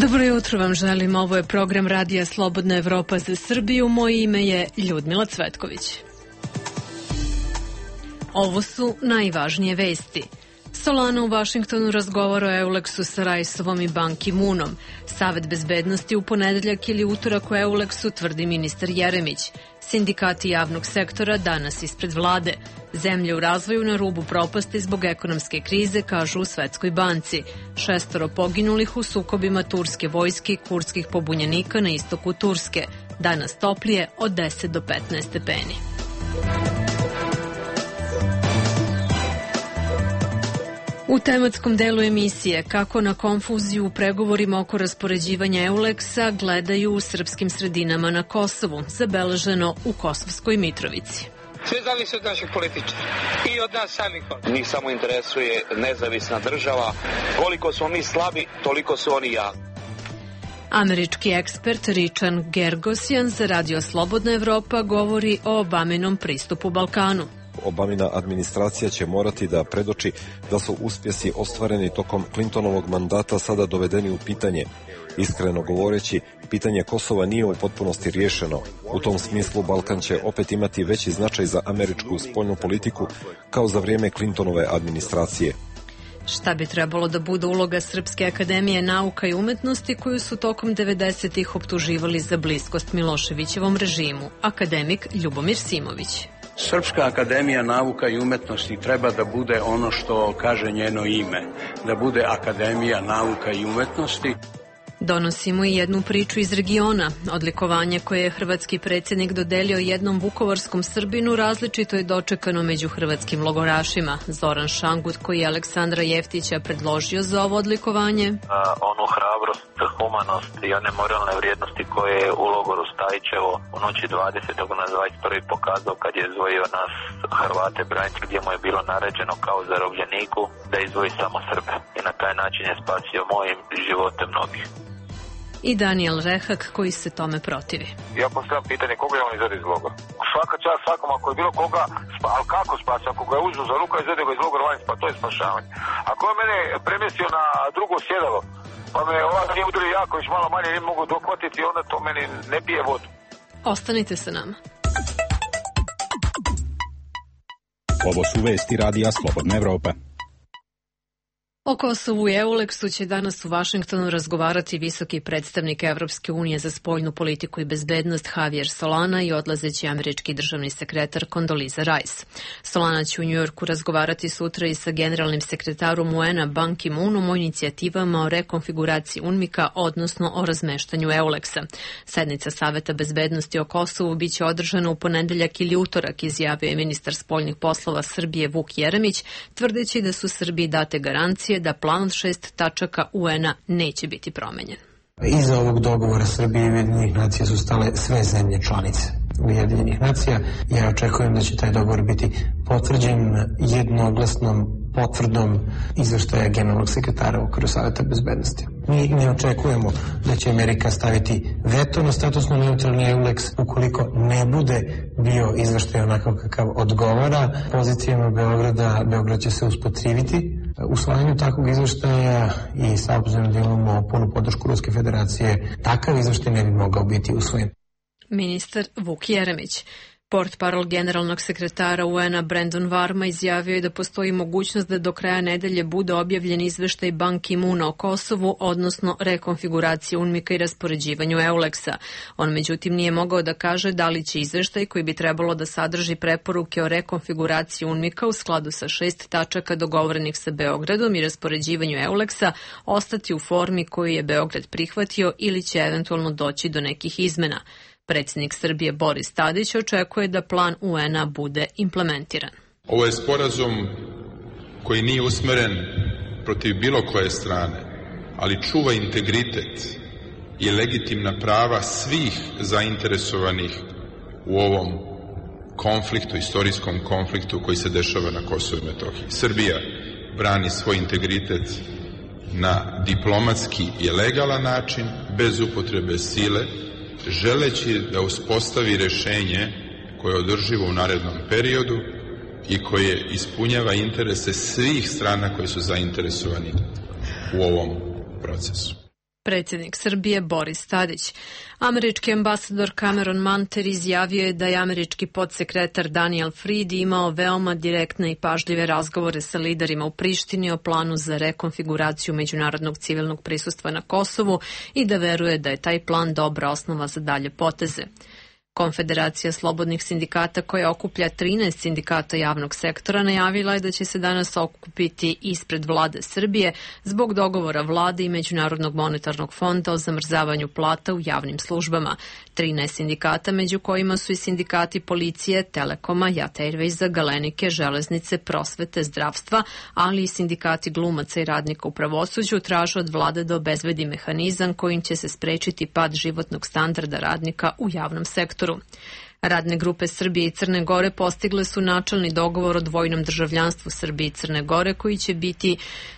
Dobro jutro vam želim, ovo je program Radija Slobodna Evropa za Srbiju, moje ime je Ljudmila Cvetković. Ovo su najvažnije vesti. Solana u Vašingtonu razgovara o Euleksu sa Raisovom i Ban Ki-moonom. Savet bezbednosti u ponedeljak ili utorak o Euleksu, tvrdi ministar Jeremić. Sindikati javnog sektora danas ispred vlade. Zemlje u razvoju na rubu propasti zbog ekonomske krize, kažu u Svetskoj banci. 6 poginulih u sukobima turske vojske i kurdskih pobunjenika na istoku Turske. Danas toplije od 10 do 15 stepeni. U tematskom delu emisije kako na konfuziju u pregovorima oko raspoređivanja Euleksa gledaju u srpskim sredinama na Kosovu, zabeleženo u Kosovskoj Mitrovici. Sve zavisi od naših političara i od nas samih. Njih samo interesuje nezavisna država. Koliko smo mi slabi, toliko su oni jaki. Američki ekspert Richard Gergosian za Radio Slobodna Evropa govori o Obaminom pristupu Balkanu. Obamina administracija će morati da predoči da su uspjesi ostvareni tokom Clintonovog mandata sada dovedeni u pitanje. Iskreno govoreći, pitanje Kosova nije u potpunosti riješeno. U tom smislu Balkan će opet imati veći značaj za američku spoljnu politiku kao za vrijeme Clintonove administracije. Šta bi trebalo da bude uloga Srpske akademije nauka i umetnosti koju su tokom 90-ih optuživali za bliskost Miloševićevom režimu? Akademik Ljubomir Simović. Srpska akademija nauka i umetnosti treba da bude ono što kaže njeno ime, da bude Akademija nauka i umetnosti. Donosimo i jednu priču iz regiona. Odlikovanje koje je hrvatski predsjednik dodelio jednom vukovarskom Srbinu različito je dočekano među hrvatskim logorašima. Zoran Šangut, koji je Aleksandra Jeftića predložio za ovo odlikovanje. Onu hrabrost, humanost i one moralne vrijednosti koje je u logoru Stajićevo u noći 20. na 21. pokazao kad je izdvojio nas Hrvate branitelje, gdje mu je bilo naređeno kao zarobljeniku da izdvoji samo Srbe. I na taj način je spasio mojim živote mnogih. I Daniel Rehak, koji se tome protivi. Ja postavljam pitanje koga je on izvede iz logora. Svaka čast svakom, ako je bilo koga, ali kako spasi? Ako ga je uzeo za ruka i izvede ga iz logora van, pa to je spašavanje. Ako je mene premjestio na drugo sjedalo, pa me ovak nije udario jako, još malo manje ne mogu dohvatiti, onda to meni ne pije vodu. Ostanite sa nama. Ovo su vesti Radija Slobodna Evropa. O Kosovu i Euleksu će danas u Vašingtonu razgovarati visoki predstavnik Evropske unije za spoljnu politiku i bezbednost Javier Solana i odlazeći američki državni sekretar Condoleezza Rice. Solana će u Njujorku razgovarati sutra i sa generalnim sekretarom UN-a Ban Ki-moonom o inicijativama o rekonfiguraciji UNMIK-a, odnosno o razmeštanju Euleksa. Sednica Saveta bezbednosti o Kosovu biće održana u ponedeljak ili utorak, izjavio je ministar spoljnih poslova Srbije Vuk Jeremić, tvrdeći da su Srbiji date garancije da plan od 6 tačaka UN-a neće biti promenjen. Iza ovog dogovora Srbije i Ujedinjenih nacija su stale sve zemlje članice Ujedinjenih nacija. Ja očekujem da će taj dogovor biti potvrđen jednoglasnom potvrdom izveštaja generalnog sekretara u okviru Saveta bezbednosti. Mi ne očekujemo da će Amerika staviti veto na statusno neutralni Euleks ukoliko ne bude bio izveštaj onako kakav odgovara pozicijama Beograda. Beograd će se usprotiviti usvajanju takvog izveštaja i sa obzirom da imamo punu podršku Ruske federacije, takav izveštaj ne bi mogao biti usvojen. Ministar Vuk Jeremić. Portparol generalnog sekretara UN-a Brandon Varma izjavio je da postoji mogućnost da do kraja nedelje bude objavljen izveštaj Ban Ki-moona o Kosovu, odnosno rekonfiguraciji UNMIK-a i raspoređivanju Euleksa. On međutim nije mogao da kaže da li će izveštaj, koji bi trebalo da sadrži preporuke o rekonfiguraciji UNMIK-a u skladu sa 6 tačaka dogovorenih sa Beogradom i raspoređivanju Euleksa, ostati u formi koju je Beograd prihvatio ili će eventualno doći do nekih izmena. Predsjednik Srbije Boris Tadić očekuje da plan UN-a bude implementiran. Ovo je sporazum koji nije usmeren protiv bilo koje strane, ali čuva integritet i legitimna prava svih zainteresovanih u ovom konfliktu, istorijskom konfliktu koji se dešava na Kosovu i Metohiji. Srbija brani svoj integritet na diplomatski i legalan način, bez upotrebe sile, želeći da uspostavi rješenje koje je održivo u narednom periodu i koje ispunjava interese svih strana koje su zainteresovani u ovom procesu. predsjednik Srbije Boris Tadić. Američki ambasador Cameron Manter izjavio je da je američki podsekretar Daniel Fried imao veoma direktne i pažljive razgovore sa liderima u Prištini o planu za rekonfiguraciju međunarodnog civilnog prisustva na Kosovu i da veruje da je taj plan dobra osnova za dalje poteze. Konfederacija slobodnih sindikata, koja okuplja 13 sindikata javnog sektora, najavila je da će se danas okupiti ispred vlade Srbije zbog dogovora vlade i Međunarodnog monetarnog fonda o zamrzavanju plata u javnim službama. 13 sindikata, među kojima su i sindikati policije, Telekoma, Jat Airwaysa, Galenike, železnice, prosvete, zdravstva, ali i sindikati glumaca i radnika u pravosuđu, traže od vlade da obezbedi mehanizam kojim će se sprečiti pad životnog standarda radnika u javnom sektoru. Radne grupe Srbije i Crne Gore postigle su načelni dogovor o dvojnom državljanstvu Srbije i Crne Gore koji će biti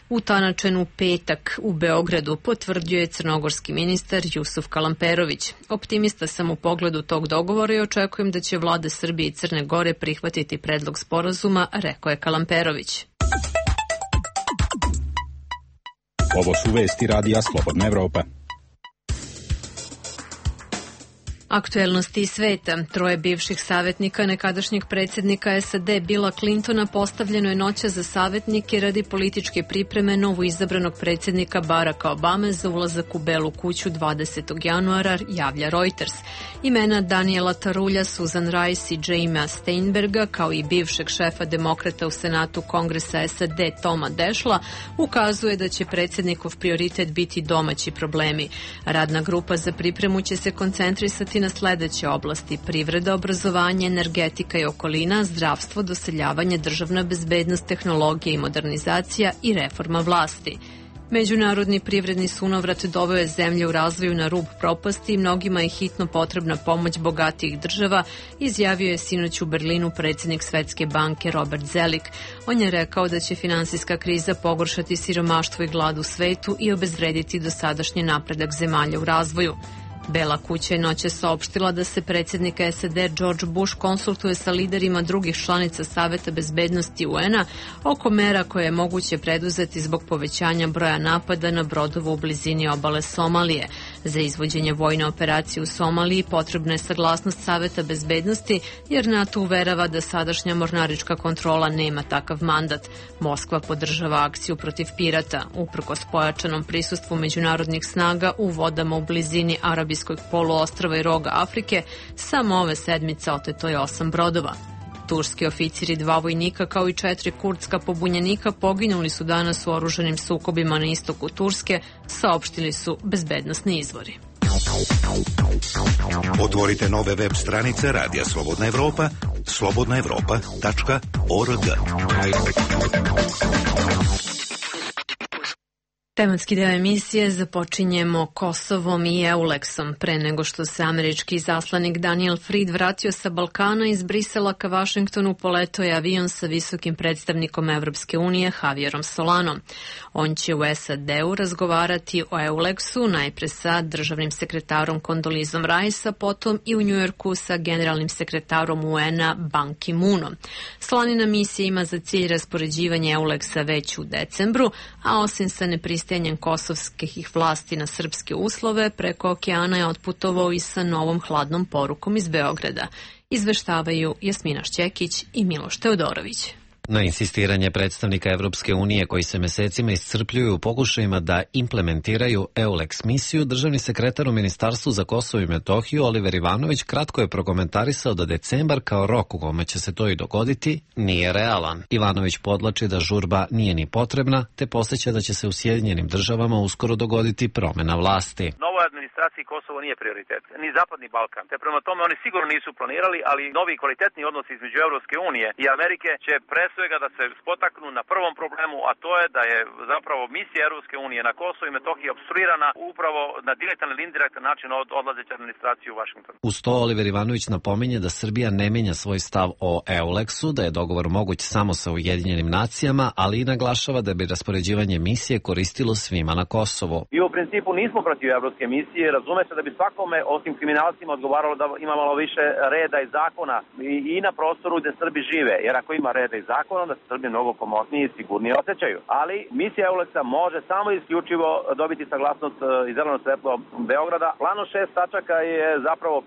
utanačen u petak u Beogradu, potvrdio je crnogorski ministar Jusuf Kalamperović. Optimista sam u pogledu tog dogovora i očekujem da će vlade Srbije i Crne Gore prihvatiti predlog sporazuma, rekao je Kalamperović. Ovo su vesti radija Slobodna Evropa. Aktuelnosti iz sveta. 3 bivših savjetnika nekadašnjeg predsjednika SAD Billa Clintona postavljeno je noćas za savjetnike radi političke pripreme novoizabranog predsjednika Baracka Obame za ulazak u Belu kuću 20. januara, javlja Reuters. Imena Daniela Tarulja, Susan Rice i Jamea Steinberga, kao i bivšeg šefa demokrata u Senatu Kongresa SAD Toma Dešla, ukazuje da će predsjednikov prioritet biti domaći problemi. Radna grupa za pripremu će se koncentrisati na sledeće oblasti: privreda, obrazovanje, energetika i okolina, zdravstvo, doseljavanje, državna bezbednost, tehnologija i modernizacija i reforma vlasti. Međunarodni privredni sunovrat doveo je zemlju u razvoju na rub propasti i mnogima je hitno potrebna pomoć bogatijih država, izjavio je sinoć u Berlinu predsjednik Svetske banke Robert Zelik. On je rekao da će finansijska kriza pogoršati siromaštvo i glad u svetu i obezvrediti dosadašnji napredak zemalja u razvoju. Bela kuća je noće saopštila da se predsjednik SAD George Bush konsultuje sa liderima drugih članica Saveta bezbednosti UN-a oko mera koje je moguće preduzeti zbog povećanja broja napada na brodove u blizini obale Somalije. Za izvođenje vojne operacije u Somaliji potrebna je saglasnost Saveta bezbednosti, jer NATO uverava da sadašnja mornarička kontrola nema takav mandat. Moskva podržava akciju protiv pirata. Uprkos pojačanom prisustvu međunarodnih snaga u vodama u blizini Arabijskog poluostrva i roga Afrike, samo ove sedmice oteto je 8 brodova. Turski oficiri, 2 vojnika kao i 4 kurdska pobunjenika poginuli su danas u oružanim sukobima na istoku Turske, saopštili su bezbednosni izvori. Otvorite nove web stranice Radija Slobodna Evropa, slobodnaevropa.org. Tematski deo emisije započinjemo Kosovom i Euleksom. Pre nego što se američki izaslanik Daniel Fried vratio sa Balkana, iz Brisela ka Vašingtonu poletao je avion sa visokim predstavnikom Evropske unije Javierom Solanom. On će u SAD-u razgovarati o Euleksu, najpre sa državnim sekretarom Kondolizom Rice, potom i u Njujorku sa generalnim sekretarom UN-a Ban Ki-moonom. Solanina misija ima za cilj raspoređivanje Euleksa već u decembru, a osim sa nepristajanjem kosovskih vlasti na srpske uslove, preko okeana je otputovao i sa novom hladnom porukom iz Beograda. Izveštavaju Jasmina Šćekić i Miloš Teodorović. Na insistiranje predstavnika Evropske unije koji se mesecima iscrpljuju u pokušajima da implementiraju EULEX misiju, državni sekretar u Ministarstvu za Kosovo i Metohiju Oliver Ivanović kratko je prokomentarisao da decembar kao rok u kome će se to i dogoditi nije realan. Ivanović podlači da žurba nije ni potrebna, te podsjeća da će se u Sjedinjenim državama uskoro dogoditi promena vlasti. Novoj administraciji Kosovo nije prioritet, ni Zapadni Balkan, te prema tome oni sigurno nisu planirali, ali novi kvalitetni odnosi između Evropske unije i Amerike će svega da se spotaknu na prvom problemu, a to je da je zapravo misija Evropske unije na Kosovo i Metohiji obstruirana upravo na direktan ili indirektan način od odlazeće administracije u Vašingtonu. Uz to Oliver Ivanović napominje da Srbija ne menja svoj stav o EULEX-u, da je dogovor moguć samo sa Ujedinjenim nacijama, ali i naglašava da bi raspoređivanje misije koristilo svima na Kosovu. I u principu nismo protiv evropske misije, razume se da bi svakome, osim kriminalcima, odgovaralo da ima malo više reda i zakona i na prostoru gde Srbi žive, jer ako ima reda i zakona, zakonom da se Srbi mnogo komotnije i sigurnije osjećaju. Ali misija EULEX-a može samo isključivo dobiti saglasnost i zeleno svetlo Beograda. Plano 6 tačaka je zapravo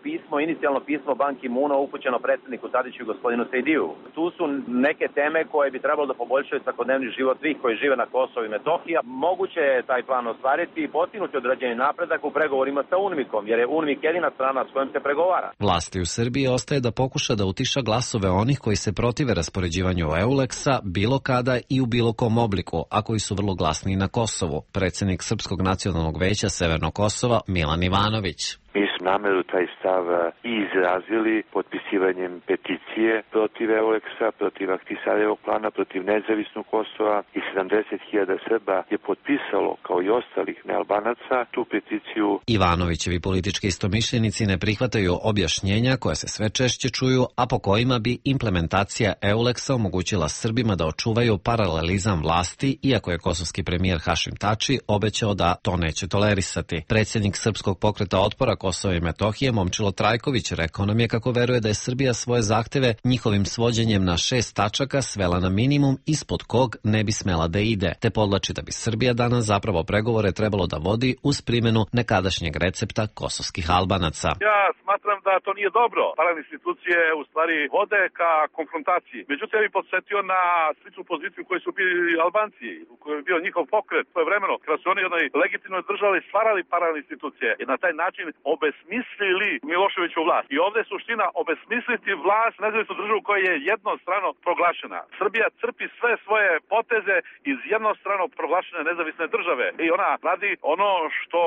inicijalno pismo Ban Ki-moona upućeno predsjedniku Tadiću i gospodinu Sejdiju. Tu su neke teme koje bi trebalo da poboljšaju svakodnevni život svih koji žive na Kosovu i Metohiji. Moguće je taj plan ostvariti i postignuti određeni napredak u pregovorima sa UNMIK-om, jer je UNMIK jedina strana s kojom se pregovara. Vlasti u Srbiji ostaje da pokuša da utiša glasove onih koji se protive raspoređivanju EULEX-a bilo kada i u bilo kom obliku, a koji su vrlo glasni na Kosovu. Predsjednik Srpskog nacionalnog veća Severnog Kosova Milan Ivanović. Mi smo nameru taj stav i izrazili potpisivanjem peticije protiv EULEX-a, protiv Ahtisarjevog plana, protiv nezavisnog Kosova i 70.000 Srba je potpisalo, kao i ostalih nealbanaca, tu peticiju. Ivanovićevi politički istomišljenici ne prihvataju objašnjenja koja se sve češće čuju, a po kojima bi implementacija EULEX-a omogućila Srbima da očuvaju paralelizam vlasti, iako je kosovski premijer Hašim Tači obećao da to neće tolerisati. Predsjednik Srpskog pokreta otpora Kosova i Metohije Momčilo Trajković rekao nam je kako veruje da je Srbija svoje zahteve njihovim svođenjem na 6 tačaka svela na minimum ispod kog ne bi smela da ide, te podlači da bi Srbija danas zapravo pregovore trebalo da vodi uz primjenu nekadašnjeg recepta kosovskih Albanaca. Ja smatram da to nije dobro. Paralelne institucije u stvari vode ka konfrontaciji. Međutim, ja bih podsjetio na sličnu poziciju koju su bili Albanci, u kojoj je bio njihov pokret svoje vremeno, kada su oni u jednoj legitimnoj državi stvarali paralelne institucije i na taj način obesmislili Miloševiću vlast. I ovdje je suština obesmisliti vlast nezavisnu državu koja je jednostrano proglašena. Srbija crpi sve svoje poteze iz jednostrano proglašene nezavisne države. I ona radi ono što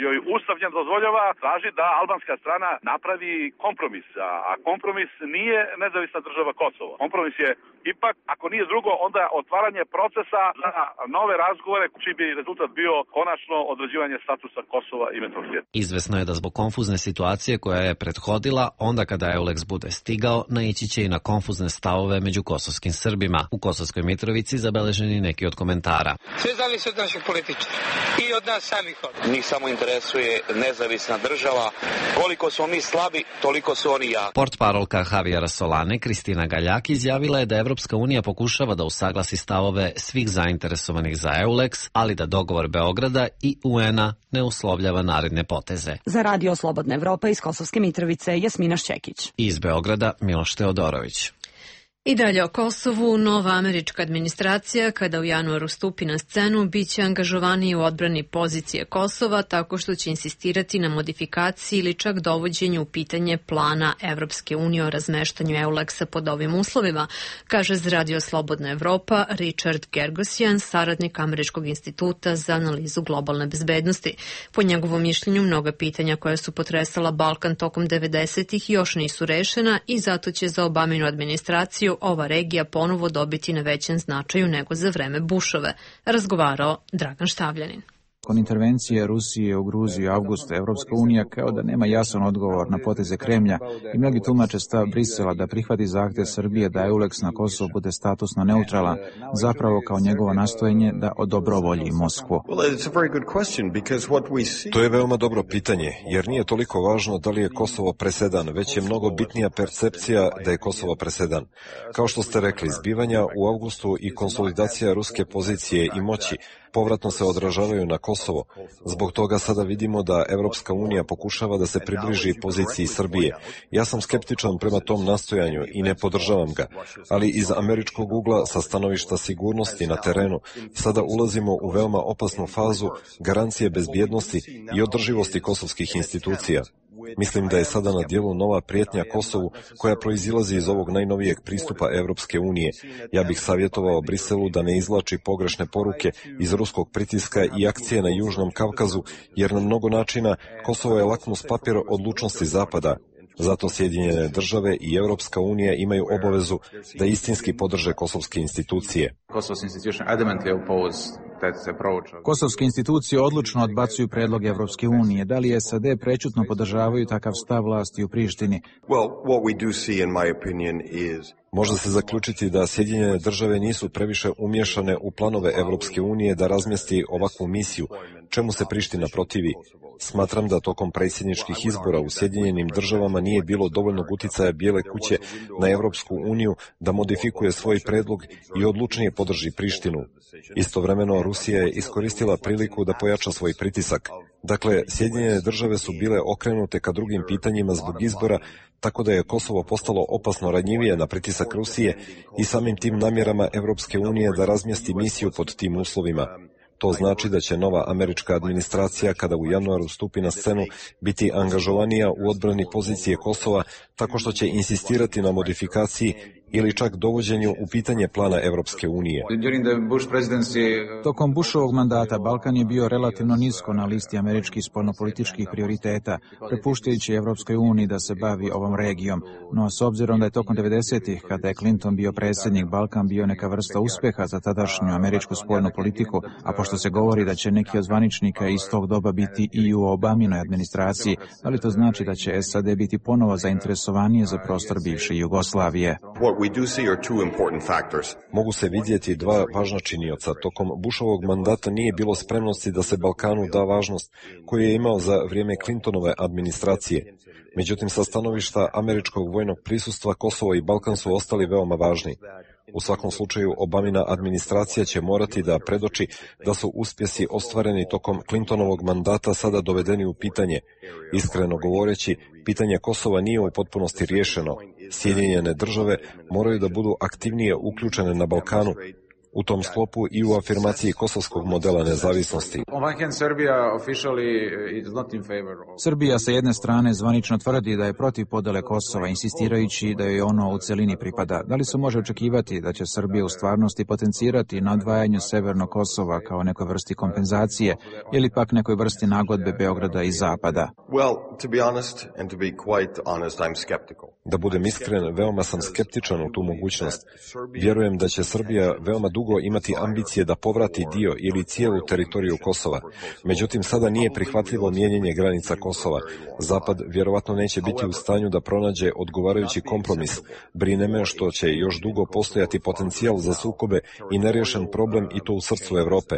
joj Ustav njen dozvoljava, traži da albanska strana napravi kompromis. A kompromis nije nezavisna država Kosovo. Kompromis je ipak, ako nije drugo, onda otvaranje procesa za nove razgovore, čiji bi rezultat bio konačno određivanje statusa Kosova i Metohije. Izvesno je da zbog konfuzne situacije koja je prethodila, onda kada EULEX bude stigao, naići će i na konfuzne stavove među kosovskim Srbima. U Kosovskoj Mitrovici zabeleženi neki od komentara. Sve zavisi od naših političara i od nas samih. Njih samo interesuje nezavisna država. Koliko smo mi slabi, toliko su oni jaki. Portparolka Javijera Solane, Kristina Galjak, izjavila je da Evropska unija pokušava da usaglasi stavove svih zainteresovanih za EULEX, ali da dogovor Beograda i UN-a ne uslovljava naredne poteze. Za Radio Slobodna Evropa iz Kosovske Mitrovice, Jasmina Šćekić. Iz Beograda, Miloš Teodorović. I dalje o Kosovu, nova američka administracija, kada u januaru stupi na scenu, bit će angažovaniji u odbrani pozicije Kosova tako što će insistirati na modifikaciji ili čak dovođenju u pitanje plana Evropske unije o razmeštanju EULEX-a pod ovim uslovima, kaže za Radio Slobodna Evropa Richard Gergosjan, saradnik Američkog instituta za analizu globalne bezbednosti. Po njegovom mišljenju, mnoga pitanja koja su potresala Balkan tokom 90-ih još nisu rešena i zato će za Obaminu administraciju ova regija ponovo dobiti na većem značaju nego za vreme Bushove, razgovarao Dragan Štavljanin. Nakon intervencije Rusije u Gruziju avgusta, Evropska unija kao da nema jasan odgovor na poteze Kremlja i mnogi tumače stav Brisela da prihvati zahtev Srbije da EULEX na Kosovu bude statusno neutralan, zapravo kao njegovo nastojanje da odobrovolji Moskvu. To je veoma dobro pitanje, jer nije toliko važno da li je Kosovo presedan, već je mnogo bitnija percepcija da je Kosovo presedan. Kao što ste rekli, zbivanja u avgustu i konsolidacija ruske pozicije i moći povratno se odražavaju na Kosovo. Zbog toga sada vidimo da Evropska unija pokušava da se približi poziciji Srbije. Ja sam skeptičan prema tom nastojanju i ne podržavam ga, ali iz američkog ugla sa stanovišta sigurnosti na terenu sada ulazimo u veoma opasnu fazu garancije bezbjednosti i održivosti kosovskih institucija. Mislim da je sada na dijelu nova prijetnja Kosovu koja proizilazi iz ovog najnovijeg pristupa Evropske unije. Ja bih savjetovao Briselu da ne izvlači pogrešne poruke iz ruskog pritiska i akcije na Južnom Kavkazu, jer na mnogo načina Kosovo je lakmus papir odlučnosti Zapada. Zato Sjedinjene države i Evropska unija imaju obavezu da istinski podrže kosovske institucije. Kosovske institucije odlučno odbacuju predlog Evropske unije. Da li SAD prećutno podržavaju takav stav vlasti u Prištini? Može se zaključiti da Sjedinjene države nisu previše umješane u planove Evropske unije da razmjesti ovakvu misiju, čemu se Priština protivi. Smatram da tokom predsjedničkih izbora u Sjedinjenim državama nije bilo dovoljnog uticaja Bijele kuće na Evropsku uniju da modifikuje svoj predlog i odlučnije podrži Prištinu. Istovremeno, Rusija je iskoristila priliku da pojača svoj pritisak. Dakle, Sjedinjene države su bile okrenute ka drugim pitanjima zbog izbora, tako da je Kosovo postalo opasno ranjivije na pritisak Rusije i samim tim namjerama Evropske unije da razmjesti misiju pod tim uslovima. To znači da će nova američka administracija, kada u januaru stupi na scenu, biti angažovanija u odbrani pozicije Kosova, tako što će insistirati na modifikaciji ili čak dovođenju u pitanje plana Evropske unije. Tokom Bushovog mandata Balkan je bio relativno nisko na listi američkih spoljnopolitičkih prioriteta, prepuštajući Evropskoj uniji da se bavi ovom regijom. No, s obzirom da je tokom 90-ih, kada je Clinton bio predsjednik, Balkan bio neka vrsta uspeha za tadašnju američku spoljnu politiku, a pošto se govori da će neki od zvaničnika iz tog doba biti i u Obaminoj administraciji, da li to znači da će SAD biti ponovo zainteresovanije za prostor bivše Jugoslavije? Mogu se vidjeti dva važna činioca. Tokom Bushovog mandata nije bilo spremnosti da se Balkanu da važnost koju je imao za vrijeme Clintonove administracije. Međutim, sa stanovišta američkog vojnog prisustva, Kosovo i Balkan su ostali veoma važni. U svakom slučaju, Obamina administracija će morati da predoči da su uspjesi ostvareni tokom Clintonovog mandata sada dovedeni u pitanje. Iskreno govoreći, pitanje Kosova nije u potpunosti riješeno. Sjedinjene države moraju da budu aktivnije uključene na Balkanu, u tom sklopu i u afirmaciji kosovskog modela nezavisnosti. Srbija sa jedne strane zvanično tvrdi da je protiv podele Kosova, insistirajući da joj ono u celini pripada. Da li se može očekivati da će Srbija u stvarnosti potencirati na odvajanju Severnog Kosova kao nekoj vrsti kompenzacije ili pak nekoj vrsti nagodbe Beograda i Zapada? Da budem iskren, veoma sam skeptičan u tu mogućnost. Vjerujem da će Srbija veoma dugo imati ambicije da povrati dio ili cijelu teritoriju Kosova. Međutim, sada nije prihvatljivo mijenjanje granica Kosova. Zapad vjerovatno neće biti u stanju da pronađe odgovarajući kompromis. Brine me što će još dugo postojati potencijal za sukobe i neriješen problem i to u srcu Evrope.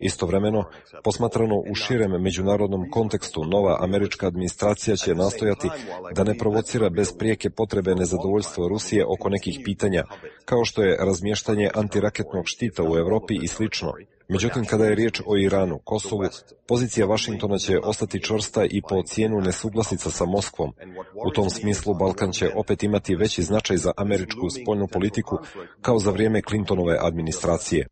Istovremeno, posmatrano u širem međunarodnom kontekstu, nova američka administracija će nastojati da ne provocira bez prijeke potrebe nezadovoljstvo Rusije oko nekih pitanja, kao što je razmještanje antiraketnog štita u Evropi i slično. Međutim, kada je riječ o Iranu, Kosovu, pozicija Vašingtona će ostati čvrsta i po cijenu nesuglasica sa Moskvom. U tom smislu Balkan će opet imati veći značaj za američku spoljnu politiku kao za vrijeme Clintonove administracije.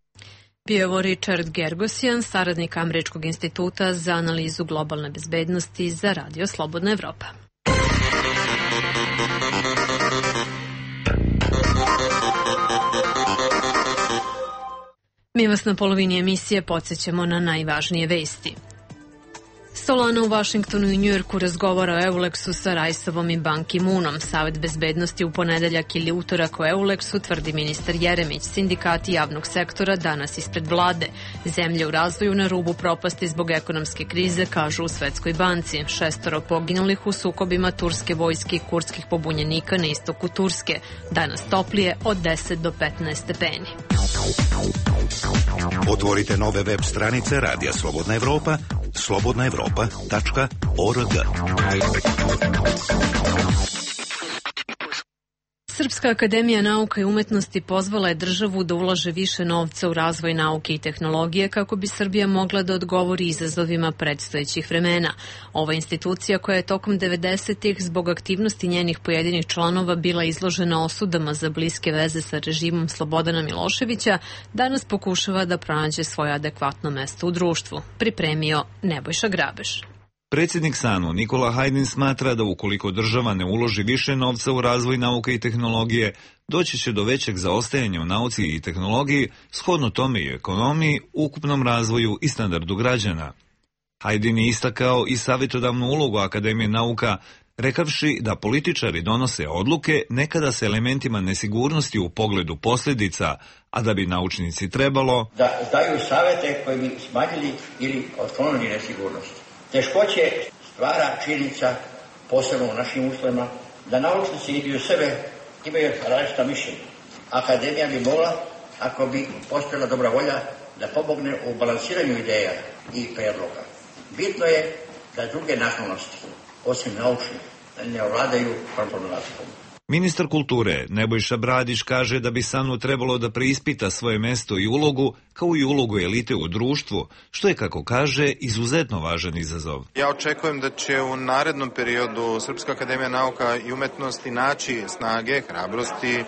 Bio je Richard Gergosian, saradnik Američkog instituta za analizu globalne bezbednosti za Radio Slobodna Evropa. Mi vas na polovini emisije podsjećamo na najvažnije vesti. Solana u Vašingtonu i Njujorku razgovara o Euleksu sa Rajsovom i Ban Ki-moonom. Savet bezbednosti u ponedeljak ili utorak o Euleksu, tvrdi ministar Jeremić. Sindikati javnog sektora danas ispred vlade. Zemlje u razvoju na rubu propasti zbog ekonomske krize, kažu u Svetskoj banci. 6 poginulih u sukobima turske vojske i kurdskih pobunjenika na istoku Turske. Danas toplije od 10 do 15 stepeni. Otvorite nove web stranice Radija Slobodna Evropa, slobodnaevropa.org. Srpska akademija nauka i umetnosti pozvala je državu da ulaže više novca u razvoj nauke i tehnologije kako bi Srbija mogla da odgovori izazovima predstojećih vremena. Ova institucija, koja je tokom 90-ih zbog aktivnosti njenih pojedinih članova bila izložena osudama za bliske veze sa režimom Slobodana Miloševića, danas pokušava da pronađe svoje adekvatno mesto u društvu. Pripremio Nebojša Grabeš. Predsjednik SANU Nikola Hajdin smatra da ukoliko država ne uloži više novca u razvoj nauke i tehnologije, doći će do većeg zaostajanja u nauci i tehnologiji, shodno tome i ekonomiji, ukupnom razvoju i standardu građana. Hajdin je istakao i savjetodavnu ulogu Akademije nauka rekavši da političari donose odluke nekada s elementima nesigurnosti u pogledu posljedica, a da bi naučnici trebalo da daju savete koji bi smanjili ili otklonili nesigurnost. Teškoće stvara činjenica, posebno u našim uslovima, da naučnici idu sebe imaju različita mišljenja. Akademija bi mogla, ako bi postojala dobra volja, da pomogne u balansiranju ideja i predloga. Bitno je da druge nacionalnosti, osim naučnih, ne ovladaju problematikom. Ministar kulture Nebojša Bradić kaže da bi SANU trebalo da preispita svoje mesto i ulogu, kao i ulogu elite u društvu, što je, kako kaže, izuzetno važan izazov. Ja očekujem da će u narednom periodu Srpska akademija nauka i umetnosti naći snage, hrabrosti,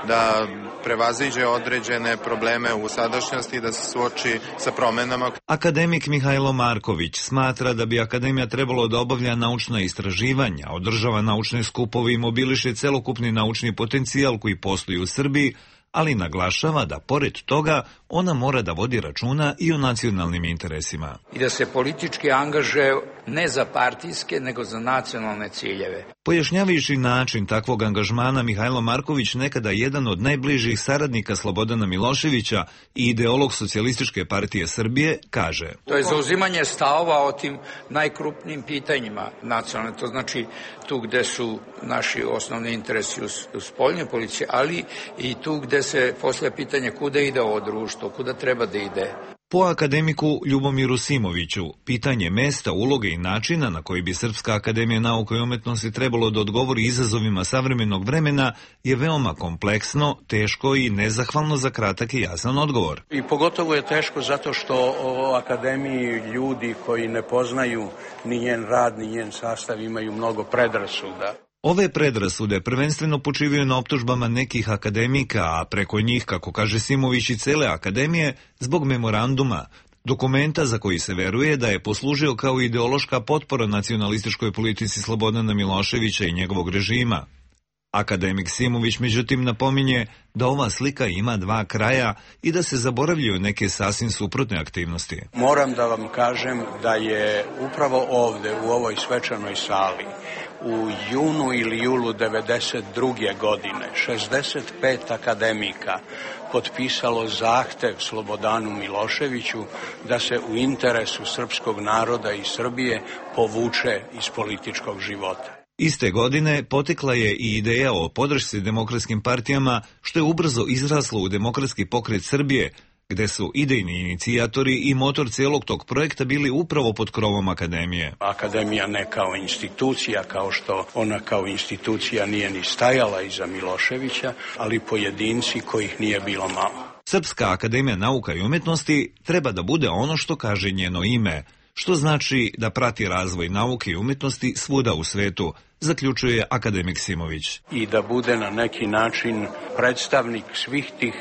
da prevaziđe određene probleme u sadašnjosti i da se suoči sa promenama. Akademik Mihajlo Marković smatra da bi akademija trebalo da obavlja naučna istraživanja, održava naučne skupove i mobiliše celokupni naučni potencijal koji postoji u Srbiji, ali naglašava da pored toga ona mora da vodi računa i o nacionalnim interesima. I da se politički angažuje ne za partijske, nego za nacionalne ciljeve. Pojašnjavajući način takvog angažmana, Mihajlo Marković, nekada jedan od najbližih saradnika Slobodana Miloševića i ideolog Socijalističke partije Srbije, kaže: To je zauzimanje stavova o tim najkrupnijim pitanjima nacionalne, to znači tu gde su naši osnovni interesi u spoljnoj politici, ali i tu gde se postavlja pitanje kuda ide ovo društvo, kuda treba da ide. Po akademiku Ljubomiru Simoviću, pitanje mesta, uloge i načina na koji bi Srpska akademija nauka i umetnosti trebalo da odgovori izazovima savremenog vremena je veoma kompleksno, teško i nezahvalno za kratak i jasan odgovor. I pogotovo je teško zato što o akademiji ljudi koji ne poznaju ni njen rad, ni njen sastav imaju mnogo predrasuda. Ove predrasude prvenstveno počivaju na optužbama nekih akademika, a preko njih, kako kaže Simović, i cele akademije, zbog memoranduma, dokumenta za koji se veruje da je poslužio kao ideološka potpora nacionalističkoj politici Slobodana Miloševića i njegovog režima. Akademik Simović međutim napominje da ova slika ima dva kraja i da se zaboravljaju neke sasvim suprotne aktivnosti. Moram da vam kažem da je upravo ovde, u ovoj svečanoj sali, u junu ili julu 1992. godine 65 akademika potpisalo zahtev Slobodanu Miloševiću da se u interesu srpskog naroda i Srbije povuče iz političkog života. Iste godine potekla je i ideja o podršci demokratskim partijama, što je ubrzo izraslo u Demokratski pokret Srbije, gde su idejni inicijatori i motor celog tog projekta bili upravo pod krovom akademije. Akademija ne kao institucija, kao što ona kao institucija nije ni stajala iza Miloševića, ali pojedinci kojih nije bilo malo. Srpska akademija nauka i umetnosti treba da bude ono što kaže njeno ime, što znači da prati razvoj nauke i umetnosti svuda u svetu, zaključuje akademik Simović. I da bude na neki način predstavnik svih tih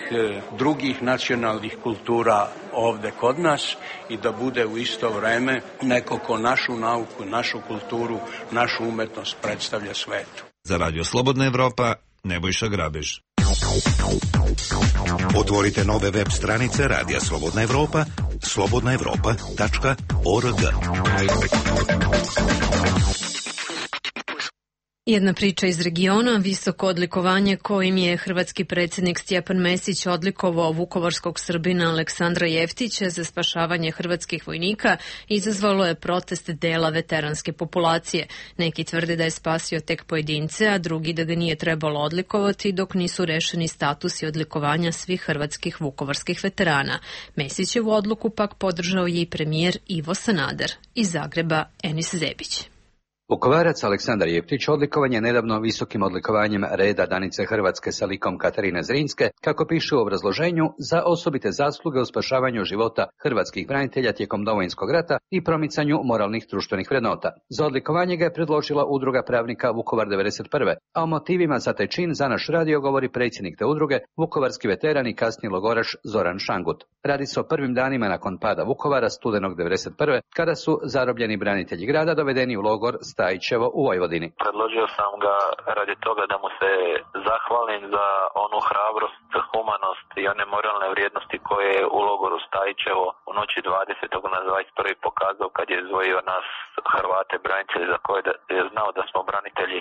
drugih nacionalnih kultura ovde kod nas i da bude u isto vreme neko ko našu nauku, našu kulturu, našu umetnost predstavlja svetu. Za Radio Slobodna Evropa, Nebojša Grabež. Otvorite nove web stranice Radija Slobodna Evropa, slobodnaevropa.org. Jedna priča iz regiona, visoko odlikovanje kojim je hrvatski predsjednik Stjepan Mesić odlikovao vukovarskog Srbina Aleksandra Jeftića za spašavanje hrvatskih vojnika, izazvalo je protest dela veteranske populacije. Neki tvrde da je spasio tek pojedince, a drugi da ga nije trebalo odlikovati dok nisu rešeni statusi odlikovanja svih hrvatskih vukovarskih veterana. Mesićevu odluku pak podržao je i premijer Ivo Sanader. Iz Zagreba Enis Zebić. Vukovarac Aleksandar Jeftić odlikovan je nedavno visokim odlikovanjem reda Danice Hrvatske sa likom Katarine Zrinske, kako piše u obrazloženju, za osobite zasluge u spašavanju života hrvatskih branitelja tijekom Domovinskog rata i promicanju moralnih društvenih vrednota. Za odlikovanje ga je predložila Udruga pravnika Vukovar 91. A o motivima za taj čin za naš radio govori predsjednik te udruge, vukovarski veteran i kasni logoraš Zoran Šangut. Radi se o prvim danima nakon pada Vukovara studenog 1991. kada su zarobljeni branitelji grada dovedeni u logor Stajićevo u Vojvodini. Predložio sam ga radi toga da mu se zahvalim za onu hrabrost, humanost i one moralne vrijednosti koje je u logoru Stajićevo u noći 20. na 21. pokazao kad je izdvojio nas Hrvate branitelji za koje je znao da smo branitelji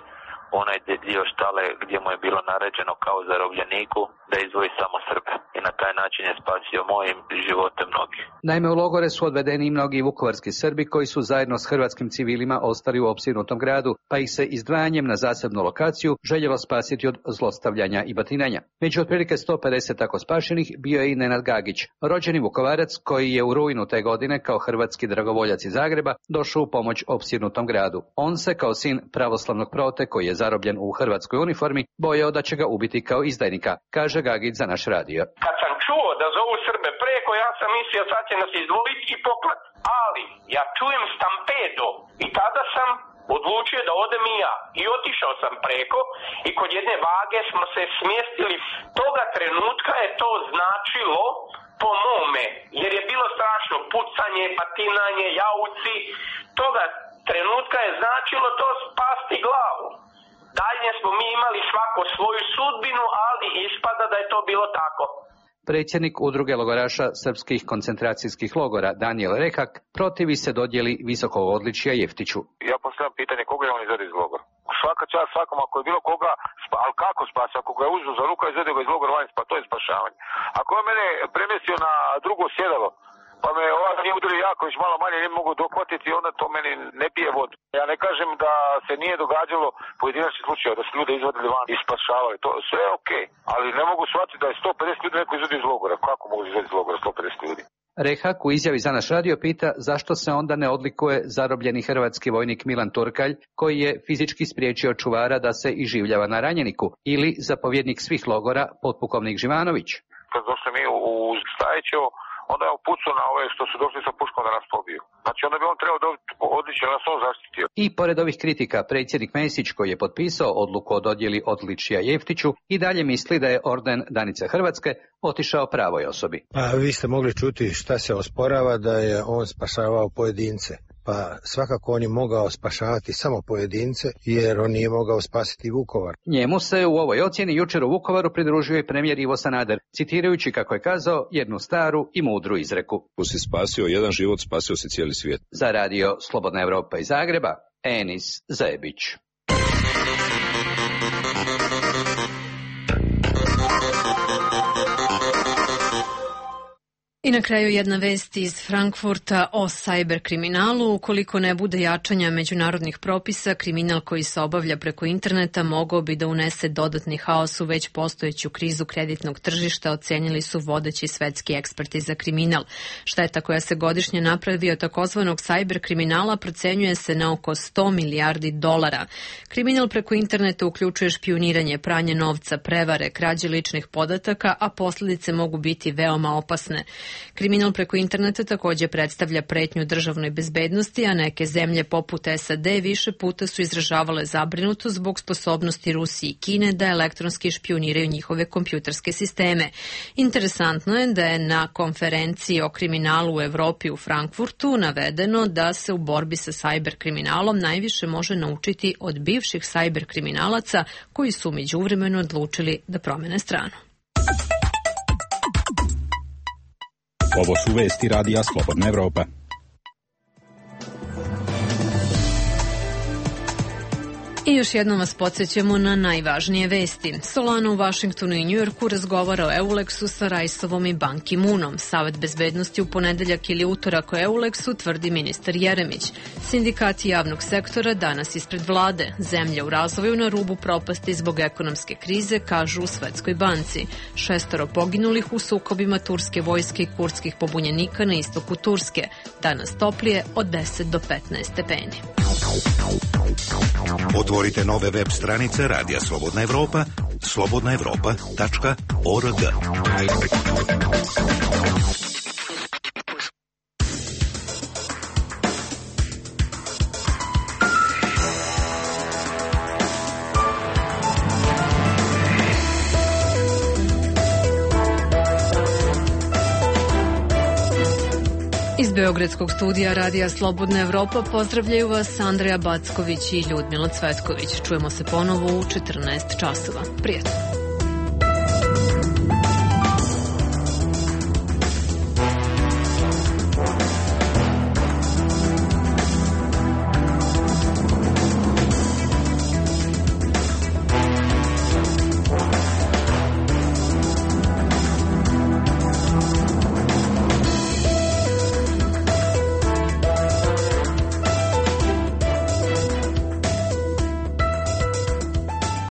onaj dio štale gdje mu je bilo naređeno kao zarobljeniku da izvoji samo Srbe i na taj način je spasio mojim živote mnogi. Naime, u logore su odvedeni i mnogi vukovarski Srbi koji su zajedno s hrvatskim civilima ostali u opsjednutom gradu, pa ih se izdvajanjem na zasebnu lokaciju željelo spasiti od zlostavljanja i batinanja. Među otprilike 150 tako spašenih bio je i Nenad Gagić, rođeni Vukovarac koji je u rujnu te godine kao hrvatski dragovoljac iz Zagreba došao u pomoć opsjednutom gradu. On se kao sin pravoslavnog prote koji je zarobljen u hrvatskoj uniformi bojao da će ga ubiti kao izdajnika, kaže Gagić za naš radio. Kad sam čuo da zovu Srbe preko, ja sam mislio sad će nas izvoliti i poklat. Ali ja čujem stampedo i tada sam odlučio da odem i ja. I otišao sam preko i kod jedne vage smo se smjestili. Toga trenutka je to značilo po mome, jer je bilo strašno pucanje, patinanje, jauci. Toga trenutka je značilo to spasti glavu. Dalje smo mi imali svako svoju sudbinu, ali ispada da je to bilo tako. Predsjednik udruge logoraša srpskih koncentracijskih logora Danijel Rehak protivi se dodjeli visokog odličja Jeftiću. Ja postavljam pitanje koga je on izvedio iz logora. Svaka čast svakom, ako je bilo koga, ali kako spasi? Ako ga je uzeo za ruka i izvedio ga iz logora vani, to je spašavanje. Ako je mene premjestio na drugo sjedalo, pa me ovdje nije udario jako, već malo manje ne mogu dohvatiti, onda to meni ne pije vodu. Ja ne kažem da se nije događalo pojedinačni slučaj, da su ljude izvadili van i spašavali. To sve je okej, ali ne mogu shvatiti da je 150 ljudi neko izvedi iz logora. Kako mogu izvedi iz logora 150 ljudi? Rehak u izjavi za naš radio pita zašto se onda ne odlikuje zarobljeni hrvatski vojnik Milan Turkalj, koji je fizički spriječio čuvara da se iživljava na ranjeniku, ili zapovjednik svih logora potpukovnik Živanović. Kad došli mi u Stajićevo, onda je upucao na ove što su došli sa puškom da nas pobiju. Znači onda bi on trebao dobiti odličje, nas on zaštitio. I pored ovih kritika, predsjednik Mesić, koji je potpisao odluku o dodjeli odličja Jeftiću, i dalje misli da je orden Danice Hrvatske otišao pravoj osobi. Pa vi ste mogli čuti šta se osporava, da je on spašavao pojedince. Pa svakako on je mogao spašavati samo pojedince, jer on nije mogao spasiti Vukovar. Njemu se u ovoj ocjeni jučer u Vukovaru pridružio i premijer Ivo Sanader, citirajući, kako je kazao, jednu staru i mudru izreku. Ko si spasio jedan život, spasio si cijeli svijet. Za radio Slobodna Evropa iz Zagreba, Enis Zebić. I na kraju jedna vest iz Frankfurta o sajber kriminalu. Ukoliko ne bude jačanja međunarodnih propisa, kriminal koji se obavlja preko interneta mogao bi da unese dodatni haos u već postojeću krizu kreditnog tržišta, ocenili su vodeći svetski eksperti za kriminal. Šteta koja se godišnje napravi od takozvanog sajber kriminala procenjuje se na oko 100 milijardi dolara. Kriminal preko interneta uključuje špijuniranje, pranje novca, prevare, krađe ličnih podataka, a posljedice mogu biti veoma opasne. Kriminal preko interneta također predstavlja pretnju državnoj bezbednosti, a neke zemlje poput SAD više puta su izražavale zabrinutost zbog sposobnosti Rusije i Kine da elektronski špijuniraju njihove kompjuterske sisteme. Interesantno je da je na konferenciji o kriminalu u Evropi u Frankfurtu navedeno da se u borbi sa sajber kriminalom najviše može naučiti od bivših sajber kriminalaca koji su međuvremeno odlučili da promene stranu. Ovo su vesti radija Slobodna Evropa. I još jednom vas podsjećamo na najvažnije vesti. Solana u Vašingtonu i Njujorku razgovara o Euleksu sa Rajsovom i Ban Ki-moonom. Savet bezbednosti u ponedeljak ili utorak o Euleksu, tvrdi ministar Jeremić. Sindikati javnog sektora danas ispred vlade. Zemlja u razvoju na rubu propasti zbog ekonomske krize, kažu u Svetskoj banci. 6 poginulih u sukobima turske vojske i kurdskih pobunjenika na istoku Turske. Danas toplije od 10 do 15 stepeni. Otvorite nove web stranice Radija Slobodna Evropa, slobodnaevropa.org. Beogradskog studija Radija Slobodna Evropa pozdravljaju vas Andreja Backović i Ljudmila Cvetković. Čujemo se ponovo u 14 časova. Prijatno.